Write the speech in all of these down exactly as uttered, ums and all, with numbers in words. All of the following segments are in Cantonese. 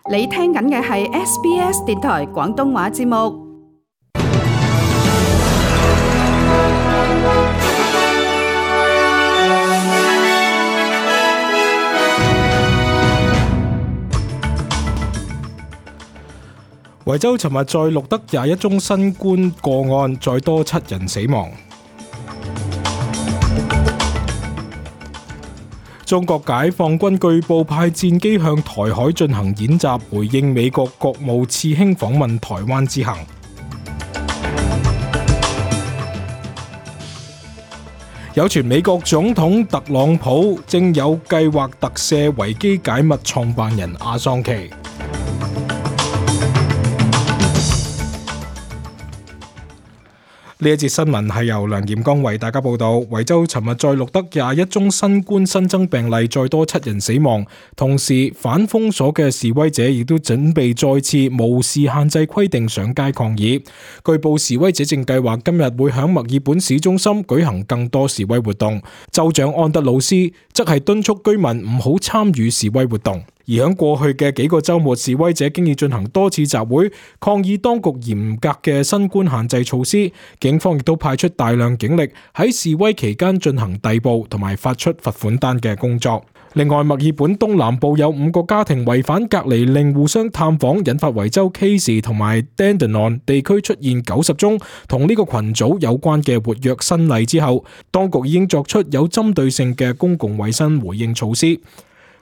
你聽緊嘅係 S B S 電台廣東話節目。維州尋日再錄得廿一宗新冠個案，再多七人死亡。中國解放軍據報派戰機向台海進行演習，回應美國國務次卿訪問台灣之行。有傳美國總統特朗普正有計劃特赦維基解密創辦人阿桑奇。呢一節新聞係由梁炎光為大家報道。維州尋日再錄得廿一宗新冠新增病例，再多七人死亡。同時，反封鎖嘅示威者亦都準備再次無視限制規定上街抗議。據報示威者正計劃今日會響墨爾本市中心舉行更多示威活動。州長安德魯斯則係敦促居民唔好參與示威活動。而喺過去嘅幾個週末，示威者經已進行多次集會，抗議當局嚴格嘅新冠限制措施。警方亦都派出大量警力喺示威期間進行逮捕同埋發出罰款單嘅工作。另外，墨爾本東南部有五個家庭違反隔離令互相探訪，引發維州 Casey 同埋 Dandenong 地區出現九十宗同呢個群組有關嘅活躍新例之後，當局已經作出有針對性嘅公共衛生回應措施。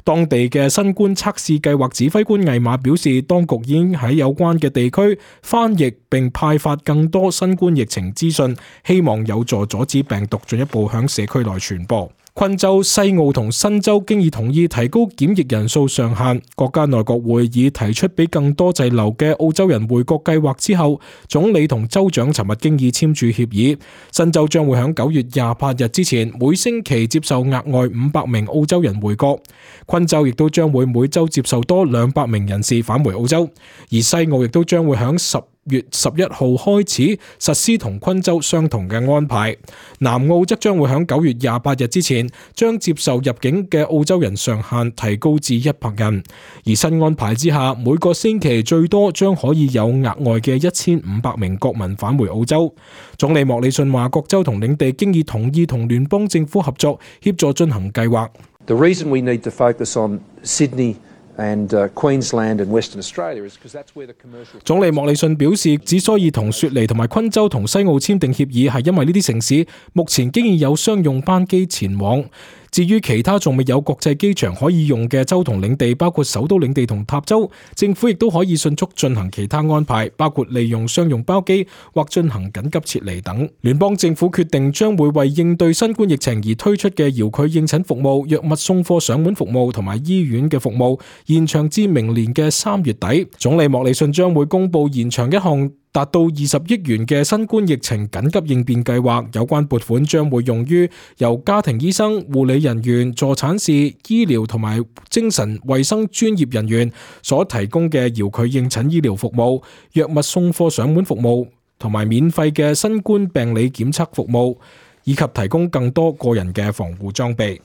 當地嘅新冠測試計劃指揮官魏馬表示，當局已經喺有關嘅地區翻譯並派發更多新冠疫情資訊，希望有助阻止病毒進一步向社區內傳播。昆州、西澳同新州經已同意提高檢疫人數上限。國家內閣會議提出俾更多滯留嘅澳洲人回國計劃之後，總理同州長尋日經已簽署協議。新州將會喺九月廿八日之前每星期接受額外五百名澳洲人回國。昆州亦都將會每周接受多兩百名人士返回澳洲，而西澳亦都將會喺十月十一號開始實施同昆州相同嘅安排。南澳則將會喺九月廿八日之前將接受入境嘅澳洲人上限提高至一百人。而新安排之下，每個星期最多將可以有額外嘅一千五百名國民返回澳洲。總理莫里遜話，各州同領地經已同意同聯邦政府合作，協助進行計劃。The reason we need to focus on Sydney And, uh, Queensland and Western Australia is because that's where the commercial... 總理莫里遜表示，之所以同雪梨同埋昆州同西澳簽訂協議，係因為呢啲城市目前經已有商用班機前往。至於其他仲未有國際機場可以用嘅州同領地，包括首都領地同塔州，政府亦都可以迅速進行其他安排，包括利用商用包機或進行緊急撤離等。聯邦政府決定將會為應對新冠疫情而推出嘅遙距應診服務、藥物送貨上門服務同埋醫院嘅服務延長至明年嘅三月底。總理莫里遜將會公布延長一項達到二十億元嘅新冠疫情緊急應變計劃，有關撥款將會用於由家庭醫生、護理人員、助產士、醫療同埋精神衛生專業人員所提供嘅遙距應診醫療服務、藥物送貨上門服務同埋免費嘅新冠病理檢測服務，以及提供更多個人嘅防護裝備。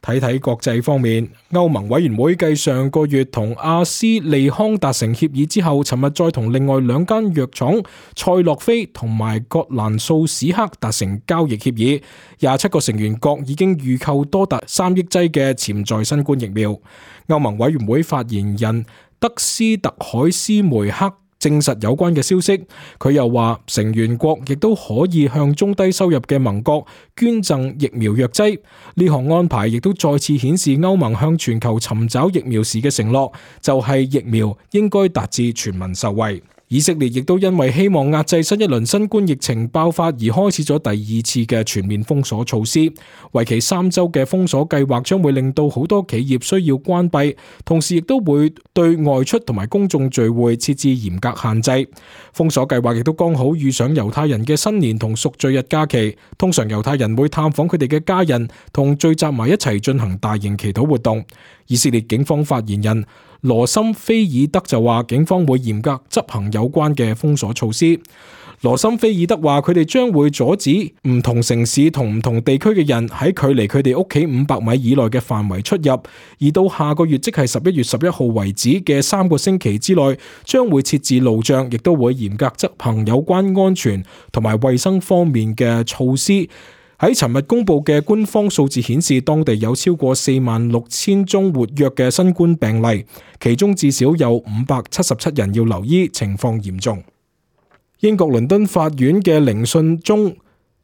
睇睇國際方面，歐盟委員會繼上個月同阿斯利康達成協議之後，尋日再同另外兩間藥廠賽諾菲同埋葛蘭素史克達成交易協議。廿七個成員國已經預購多達三億劑嘅潛在新冠疫苗。歐盟委員會發言人德斯特海斯梅克證實有關嘅消息。佢又話，成員國亦都可以向中低收入嘅盟國捐贈疫苗藥劑。呢項安排亦都再次顯示歐盟向全球尋找疫苗時嘅承諾，就係疫苗應該達至全民受惠。以色列亦都因為希望壓制新一輪新冠疫情爆發而開始咗第二次嘅全面封鎖措施。為期三週嘅封鎖計劃將會令到好多企業需要關閉，同時亦都會對外出同埋公眾聚會設置嚴格限制。封鎖計劃亦都剛好遇上猶太人嘅新年同贖罪日假期，通常猶太人會探訪佢哋嘅家人，同聚集埋一齊進行大型祈禱活動。以色列警方發言人羅森菲爾德就話，警方會嚴格執行有關嘅封鎖措施。羅森菲爾德話：佢哋將會阻止唔同城市同唔同地區嘅人喺距離佢哋屋企五百米以內嘅範圍出入，而到下個月即係十一月十一號為止嘅三個星期之內，將會設置路障，亦都會嚴格執行有關安全同埋衛生方面嘅措施。喺尋日公布嘅官方數字顯示，當地有超過四萬六千宗活躍嘅新冠病例，其中至少有五百七十七人要留醫，情況嚴重。英國倫敦法院嘅聆訊中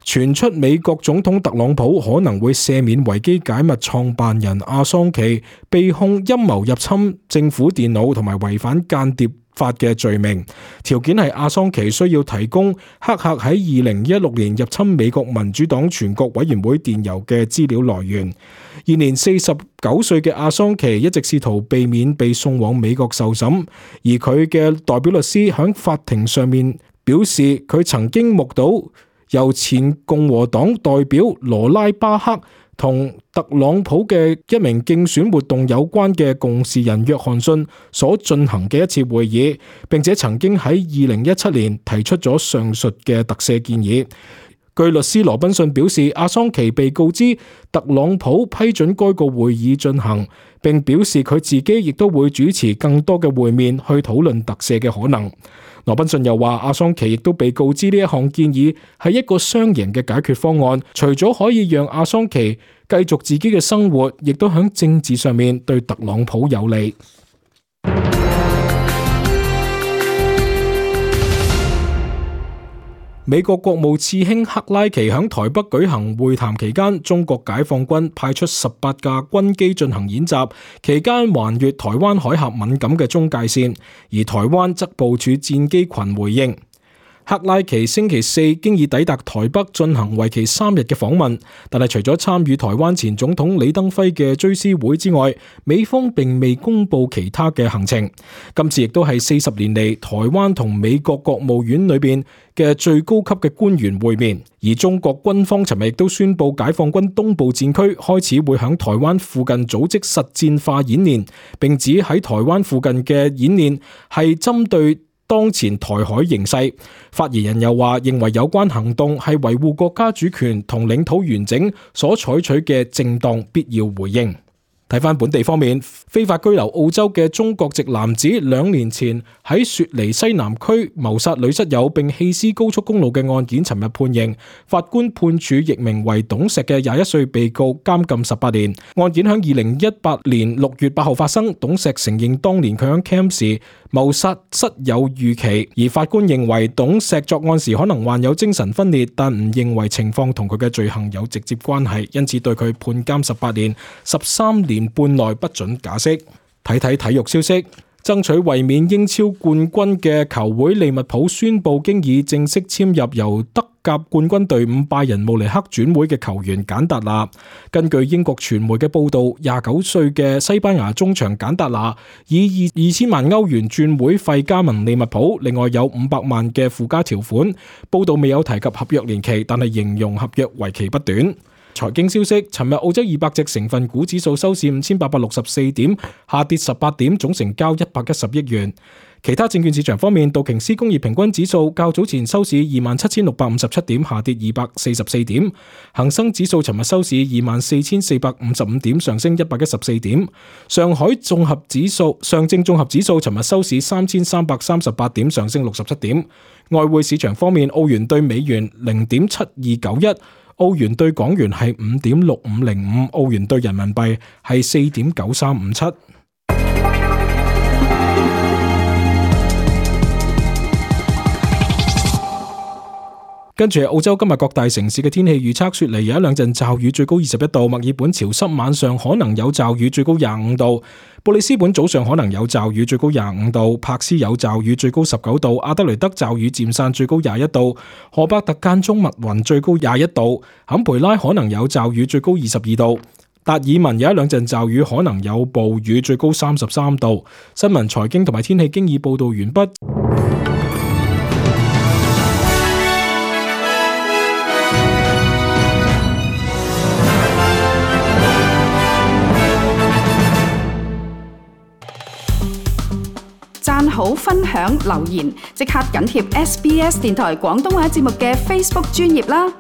傳出美國總統特朗普可能會赦免維基解密創辦人阿桑奇被控陰謀入侵政府電腦同埋違反間諜法嘅罪名，條件係阿桑奇需要提供黑客喺二零一六年入侵美國民主黨全國委員會電郵嘅資料來源。現年四十九歲嘅阿桑奇一直試圖避免被送往美國受審，而佢嘅代表律師喺法庭上面表示，佢曾經目睹由前共和黨代表羅拉巴克同特朗普嘅一名競選活動有關嘅共事人約翰遜所進行嘅一次會議，並且曾經喺二零一七年提出咗上述嘅特赦建議。據律師羅賓遜表示，阿桑奇被告知特朗普批准該個會議進行，並表示佢自己亦都會主持更多嘅會面去討論特赦嘅可能。羅賓遜又話，阿桑奇亦都被告知呢一項建議係一個雙贏嘅解決方案，除咗可以讓阿桑奇繼續自己嘅生活，亦都喺政治上面對特朗普有利。美國國務次卿克拉奇喺台北舉行會談期間，中國解放軍派出十八架軍機進行演習，期間橫越台灣海峽敏感嘅中界線，而台灣則部署戰機群回應。克拉奇星期四經已抵達台北進行為期三日嘅訪問，但係除咗參與台灣前總統李登輝嘅追思會之外，美方並未公布其他嘅行程。今次亦都係四十年嚟台灣同美國國務院裏邊嘅最高級嘅官員會面。而中國軍方尋日亦都宣布，解放軍東部戰區開始會響台灣附近組織實戰化演練，並指喺台灣附近嘅演練係針對當前台海形勢。發言人又話，認為有關行動係維護國家主權同領土完整所採取嘅正當必要回應。睇翻本地方面，非法居留澳洲嘅中國籍男子兩年前喺雪梨西南區謀殺女室友並棄屍高速公路嘅案件，尋日判刑，法官判處譯名為董石嘅廿一歲被告監禁十八年。案件喺二零一八年六月八號發生，董石承認當年佢喺 camp 時謀殺室友預期，而法官認為董石作案時可能患有精神分裂，但唔認為情況同佢嘅罪行有直接關係，因此對佢判監十八年，十三年半內不准假釋。睇睇體育消息，爭取衛冕英超冠軍嘅球會利物浦宣布，經已正式簽入由德甲冠軍隊伍拜仁慕尼黑轉會嘅球員簡達納。根據英國傳媒嘅報道，廿九歲嘅西班牙中場簡達納以二千萬歐元轉會費加盟利物浦，另外有五百萬嘅附加條款。報道未有提及合約年期，但係形容合約為期不短。財經消息，尋日澳洲二百隻成分股指數收市五千八百六十四點，下跌十八點，總成交一百一十億元。其他證券市場方面，道瓊斯工業平均指數較早前收市二萬七千六百五十七點，下跌二百四十四點。恒生指數尋日收市二萬四千四百五十五點，上升一百一十四點。上海綜合指數、上證綜合指數尋日收市三千三百三十八點，上升六十七點。外匯市場方面，澳元對美元零點七二九一。澳元對港元係五點六五零五，澳元對人民幣係四點九三五七。跟住係澳洲今日各大城市嘅天氣預測，雪梨有一兩陣驟雨，最高二十一度；墨爾本潮濕，晚上可能有驟雨，最高廿五度；布里斯本早上可能有驟雨，最高廿五度；柏斯有驟雨，最高十九度；阿德雷德驟雨漸散，最高廿一度；荷伯特間中密雲，最高廿一度；坎培拉可能有驟雨，最高二十二度；達爾文有一兩陣驟雨，可能有暴雨，最高三十三度。新聞、財經同埋天氣經已報道完畢。讚好、分享、留言，即刻緊貼 S B S 電台廣東話節目嘅 Facebook 專頁啦！